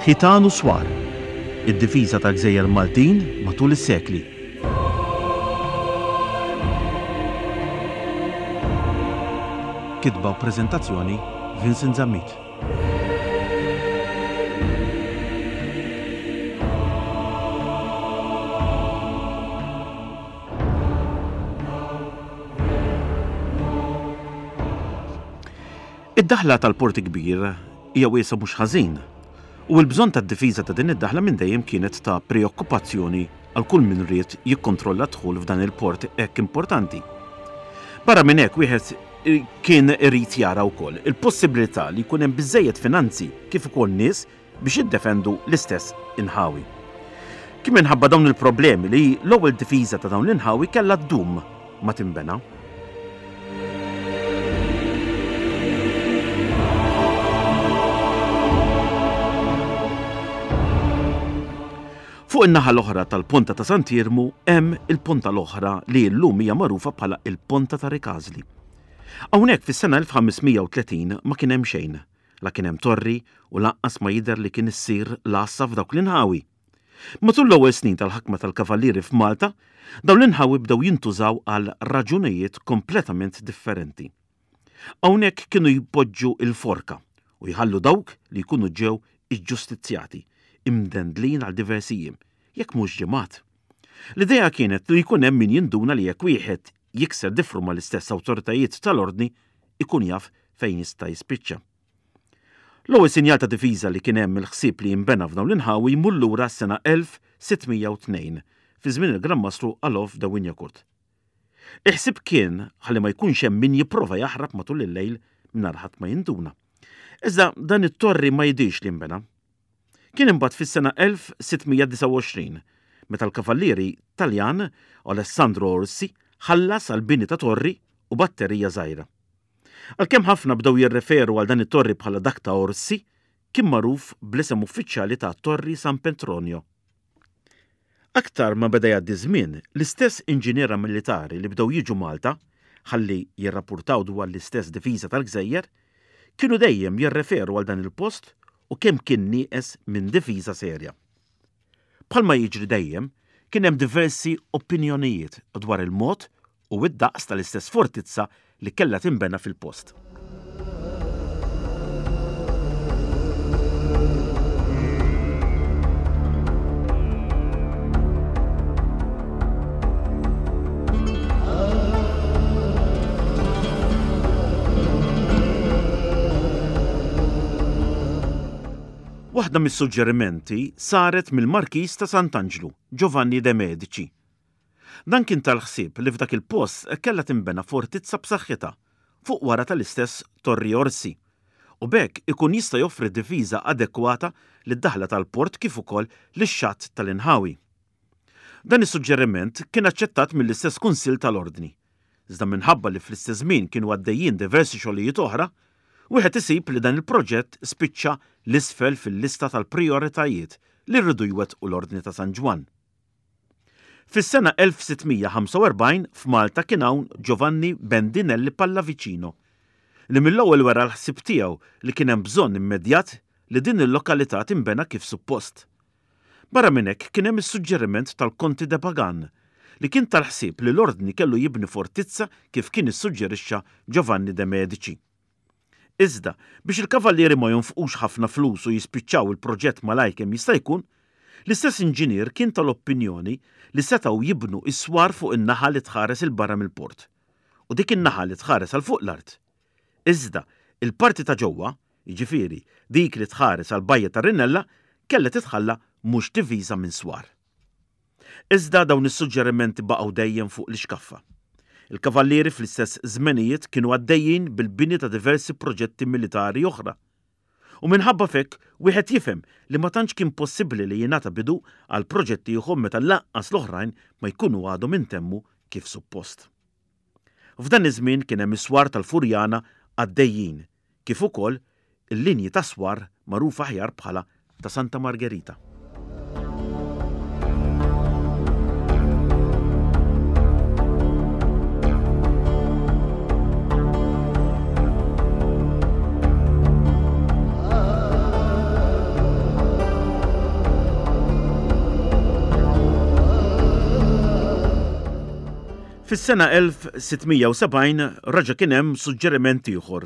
Ħitan u Swar, id-difiża tal-gżejjer Maltin matul is-sekli. Kitba u preżentazzjoni Vincent Zammit. Id-daħla tal-Port Kbir hija wiesgħa mhux ħażin, u l-bżonn tad-difiża ta' din id-daħla minn dejjem kienet ta' preokkupazzjoni għal kull min ried jikkontrolla d-dħul f'dan il-port hekk importanti. Barra minn hekk wieħed kien irid jara wkoll il-possibilità li jkun hemm biżżejjed finanzi kif ukoll nies biex jiddefendu l-istess inħawi. Kien minħabba dawn il-problemi li l-ewwel difiża ta' dawn l-inħawi kellha ddum ma tinbena. Fuq in-naħa l-oħra tal-Ponta ta' Sant'Iermu hemm il-ponta l-oħra li llum hija magħrufa bħala il-Ponta ta' Rikażli. Hawnhekk fis-sena 1530 ma kien hemm xejn. La kien hemm torri u lanqas ma jidher li kien issir l-għassa f'dawk l-inħawi. Matul l-ewwel snin tal-ħakma tal-Kavallieri f'Malta, dawn l-inħawi bdew jintużaw għal raġunijiet kompletament differenti. Hawnhekk kienu jpoġġu l-forka u jħallu dawk li jkunu ġew iġġustizzjati, imdendlin għal diversi jiem, jekk mhux ġimgħat. L-idea kienet li jkun hemm min jinduna li jekk wieħed jikser difru mal-istess awtoritajiet tal-Ordni ikun jaf fejn jista' jispiċċa. L-ewwel sinjal ta' difiża li kien hemm il-ħsieb li jinbena f'dawn l-inħawi jmur lura għas-sena 1602, fi żmien il-Gran Mastru Alof de Wignacourt. Il-ħsieb kien ħalli ma jkunx hemm min jipprova jaħrab matul il-lejl mingħajr ħadd ma jinduna. Iżda dan it-torri ma jidhirx li nbena. Kien imbagħad fis-sena 1629 meta l-kavallieri Taljan Alessandro Orsi ħallas għall-bini ta' torri u batterija żgħira. Għalkemm ħafna bdew jirreferu għal dan it-torri bħala dak ta' Orsi, kien magħruf bl-isem uffiċjali ta' Torri San Petronio. Aktar ma beda jgħaddi ż-żmien, l-istess inġiniera militari li bdew jiġu Malta ħalli jirrappurtaw dwar l-istess difiża tal-gżejjer, kienu dejjem jirreferu għal dan il-post u kemm kien nieqes minn difiża serja. Bħalma jiġri dejjem, kien hemm diversi opinjonijiet dwar il-mod u id-daqs tal-istess fortizza li kellha tinbena fil-post. Waħda mis-suġġerimenti saret mill-Markiż ta' Sant'Anġlu, Giovanni de Medici. Dan kien tal-ħsieb li f'dak il-post kellha tinbena fortizza b'saħħitha fuq wara tal-istess Torri Orsi u b'hekk ikun jista' joffri difiża adekwata lid-daħla tal-port kif ukoll lix-xatt tal-inħawi. Dan is-suġġeriment kien aċċettat mill-istess Kunsill tal-Ordni, iżda minħabba li fl-istess żmien kienu għaddejjin diversi xogħlijiet oħra, wieħed isib li dan il-proġett spiċċa 'l isfel fil-lista tal-prijoritajiet li riedu jwettqu l-Ordni ta' San Ġwann. Fis-sena 1645 f'Malta kien hawn Giovanni Bendinelli Pallavicino, li mill-ewwel wera l-ħsieb tiegħu li kien hemm bżonn immedjat li din il-lokalità tinbena kif suppost. Barra minn hekk kien hemm is-suġġeriment tal-Konti de Pagan, li kien tal-ħsieb li l-Ordni kellu jibni fortizza kif kien issuġġerixxa Giovanni de Medici. Iżda, biex il-Kavallieri ma jonfqux ħafna flus u jispiċċaw il-proġett malajr kemm jista' jkun, l-istess inġinier kien tal-opinjoni li setgħu jibnu s-swar fuq in-naħa li tħares 'il barra mill-port, u dik in-naħa li tħares għal fuq l-art. Iżda, il-parti ta' ġewwa, jiġifieri dik li tħares għall-bajja tar-Rinella, kellha titħalla mhux diviża minn swar. Iżda dawn is-suġġerimenti baqgħu dejjem fuq l-ixkaffa. Il-Kavallieri fl-istess żmenijiet kienu għaddejjin bil-bini ta' diversi proġetti militari oħra. U minħabba f'hekk wieħed jifhem li ma tantx kien possibbli li jingħata bidu għal proġett ieħor meta lanqas l-oħrajn ma jkunu għadhom intemmu kif suppost. F'dan iż-żmien kien hemm is-swar tal-Furjana għaddejjin kif ukoll il-linji ta' swar magħrufa aħjar bħala ta' Santa Margherita. Fis-sena 1670 reġa' kien hemm suġġeriment ieħor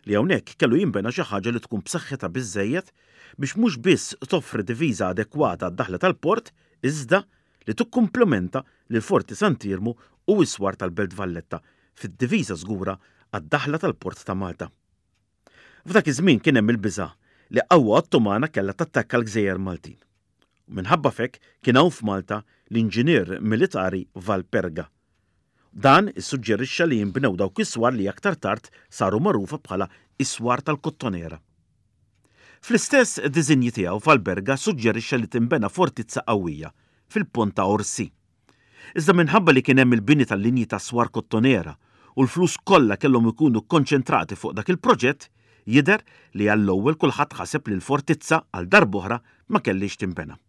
li hawnhekk kellu jinbena xi ħaġa li tkun b'saħħitha biżżejjed biex mhux biss toffri difiża adekwata għad-daħla tal-port iżda li tikkumplementa lil Forti Sant'Iermu u s-swar tal-Belt Valletta fid-difiża żgura għad-daħla tal-Port ta' Malta. F'dak iż-żmien kien hemm il-biża' li qawwa Ottomana kellha tattakka l-gżejjer Maltin. U minħabba f'hekk kien hawn f'Malta l-inġinier militari Valperga. Dan issuġġerixxa li jinbnew dawk is-swar li aktar tard saru magħrufa bħala s-swar tal-Kottonera. Fl-istess diżinji tiegħu Valperga ssuġġerixxa li tinbena fortizza qawwija fil-Ponta Orsi. Iżda minħabba li kien hemm il-bini tal-linji tas-swar Kottonera u l-flus kollha kellhom ikunu kkonċentrati fuq dak il-proġett, jidher li għall-ewwel kulħadd ħaseb li l-fortizza għal darb'oħra ma kellhiex tinbena.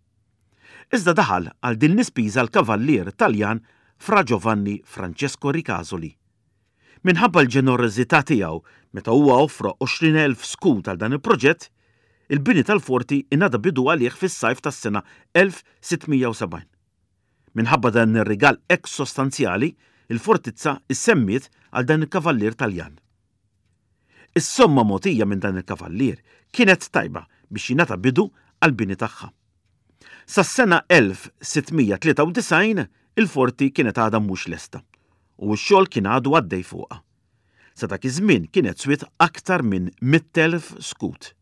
Iżda daħal għal din l-ispiża l-kavallier Taljan Fra Giovanni Francesco Ricasoli. Minħabba l-ġenerożità tiegħu meta huwa offra 20,000 skud għal dan il-proġett, il-bini tal-forti ingħata bidu għalih fis-sajf tas-sena 1670. Minħabba dan ir-rigal hekk sostanzjali, il-fortizza ssemmiet għal dan il-kavallier Taljan. Is-somma mogħtija minn dan il-kavallier kienet tajba biex jingħata bidu għall-bini tagħha. Sas-sena 1693 il-forti kienet għadha mhux lesta u x-xogħol kien għadu għaddej fuqha. Sa dak iż-żmien kienet swiet aktar minn 100,000 skud.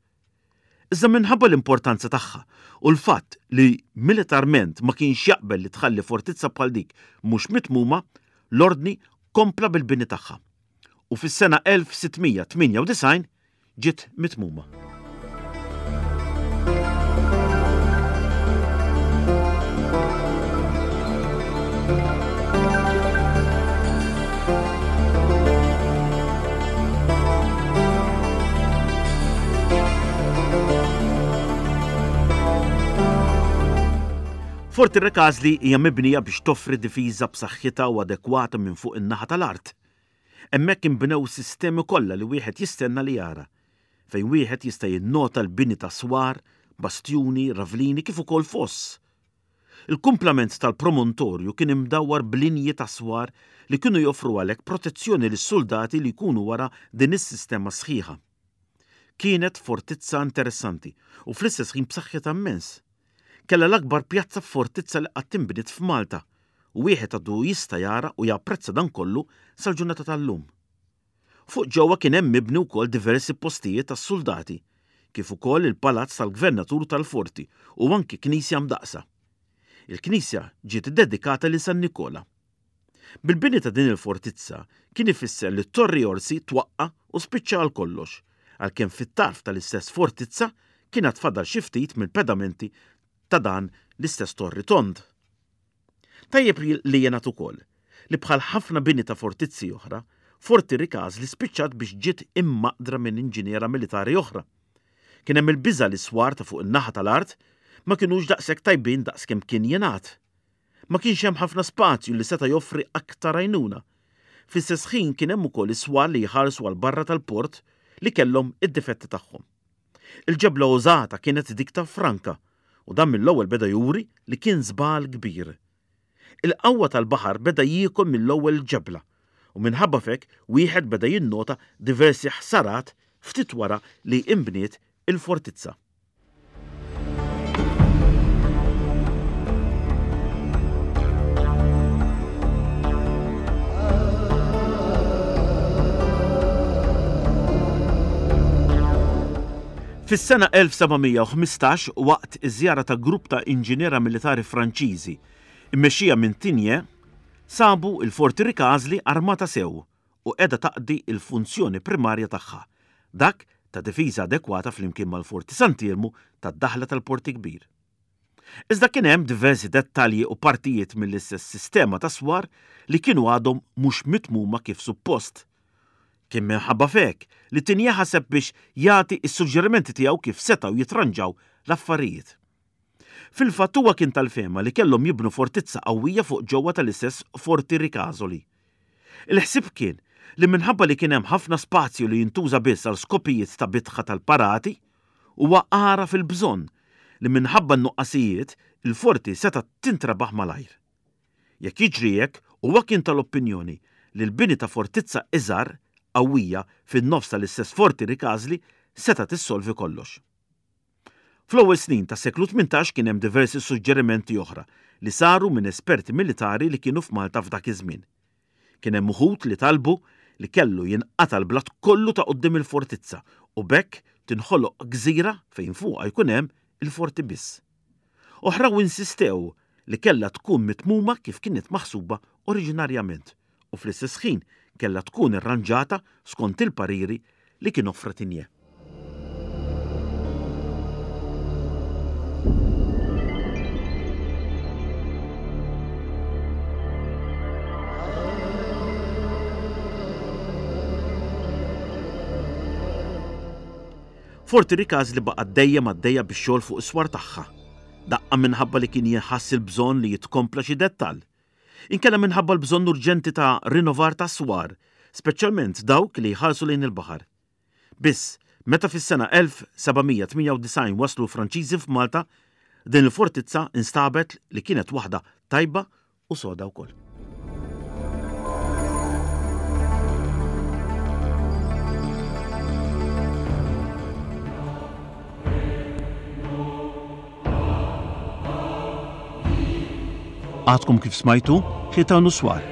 Iżda minħabba l-importanza tagħha u l-fatt li militarment ma kienx jaqbel li tħalli fortizza bħal dik mhux mitmuma, l-Ordni kompla bil-bini tagħha u fis-sena 1698 ġiet mitmuma. Forti Recasli hija mibnija biex toffri difiża b'saħħitha u adekwata minn fuq in-naħa tal-art. Hemmhekk inbnew sistemi kollha li wieħed jistenna li jara, fejn wieħed jista' jinnota l-bini ta' swar, bastjuni, ravlini kif ukoll foss. Il-kumplament tal-promontorju kien imdawwar b'linji ta' swar li kienu joffru għalhekk protezzjoni lis-suldati li jkunu wara din is-sistema sħiħa. Kienet fortizza interessanti u fl-istess ħin b'saħħitha immens. Kellha l-akbar pjazza f'fortizza li qatt inbniet f'Malta u wieħed għadu jista' jara u japprezza dan kollu sal-ġurnata tal-lum. Fuq ġewwa kien hemm mibni wkoll diversi postijiet għas-suldati, kif ukoll il-palazz tal-gvernatur tal-forti u anki knisja mdaqqsa. Il-knisja ġiet iddedikata lil San Nikola. Bil-bini ta' din il-fortizza kien ifisser li t-Torri Orsi twaqqa' u spiċċa għal kollox, għalkemm fit-tarf tal-istess fortizza kien għad fadal xi ftit mill-pedamenti ta' dan l-istess torri tond. Tajjeb li jingħad ukoll li bħal ħafna bini ta' fortizzi oħra, Forti Ricasli spiċċat biex ġiet immaqdra minn inġiniera militari oħra. Kien hemm il-biża' li s-swar ta' fuq in-naħa tal-art ma kinux daqshekk tajbin daqs kemm kien jingħad. Ma kienx hemm ħafna spazju li seta' joffri aktar għajnuna. Fl-istess ħin kien hemm ukoll is-swar li jħarsu għal barra tal-port li kellhom id-difetti tagħhom. Il-ġebla użata kienet dik ta' Franka u dan mill-ewwel beda juri li kien żball kbir. Il-qawwa tal-baħar beda jiekol mill-ewwel il-ġebla u minħabba f'hekk wieħed beda jinnota diversi ħsarat ftit wara li inbniet il-fortizza. Fis-sena 1715, waqt iż-żjara ta' grupp ta' inġiniera militari Franċiżi, immexxija minn Tigné, sabu l-Forti Ricasli armata sew u qiegħda taqdi l-funzjoni primarja tagħha, dak ta' difiża adekwata flimkien mal-Forti Sant'Iermu tad-daħla tal-Port il-Kbir. Iżda kien hemm diversi dettalji u partijiet mill-istess sistema ta' swar li kienu għadhom mhux mitmuma kif suppost. Kien minħabba f'hekk li Tigné ħaseb biex jagħti s-suġġerimenti tiegħu kif setgħu jitranġaw l-affarijiet. Fil-fatt huwa kien tal-fehma li kellhom jibnu fortizza qawwija fuq ġewwa tal-istess Forti Ricasoli. Il-ħsieb kien li minħabba li kien hemm ħafna spazju li jintuża biss għal skopijiet ta' bitħa tal-parati, Huwa għaraf il-bżonn li minħabba n-nuqqasijiet, il-forti setgħet tintrebaħ malajr. Jekk jiġri hekk, Huwa kien tal-opinjoni li l-bini ta' fortizza iżgħar, qawwija, fin-nofs tal-istess Forti Ricasli setgħet issolvi kollox. Fl-ewwel snin tas-seklu 18 kien hemm diversi suġġerimenti oħra li saru minn esperti militari li kienu f'Malta f'dak iż-żmien. Kien hemm uħud li talbu li kellu jinqata' l-blat kollu ta' quddiem il-fortizza u b'hekk tinħoloq gżira fejn fuqha jkun hemm il-forti biss. Oħraw insistew li kellha tkun mitmuma kif kienet maħsuba oriġinarjament u fl-istess ħin kellha tkun irranġata skont il-pariri li kien offra Tigné. Forti Ricasli baqgħet dejjem għaddejja bix-xogħol fuq is-swar tagħha, daqqa minħabba li kien jinħass il-bżonn li jitkompla xi dettall, inkella minħabba l-bżonn urġenti ta' rinnovar tas-swar, speċjalment dawk li jħarsu lejn il-baħar. Biss, meta fis-sena 1798 waslu l-Franċiżi f'Malta, din il-fortizza instabet li kienet waħda tajba u soda wkoll. Għadkom kif smajtu Ħitan u Swar,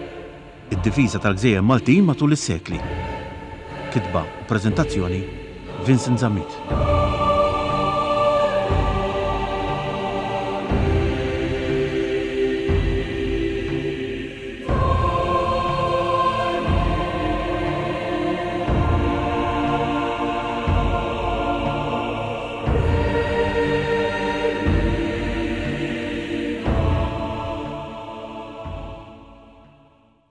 id-difiża tal-gżejjer Maltin matul is-sekli. Kitba u preżentazzjoni Vincent Zammit.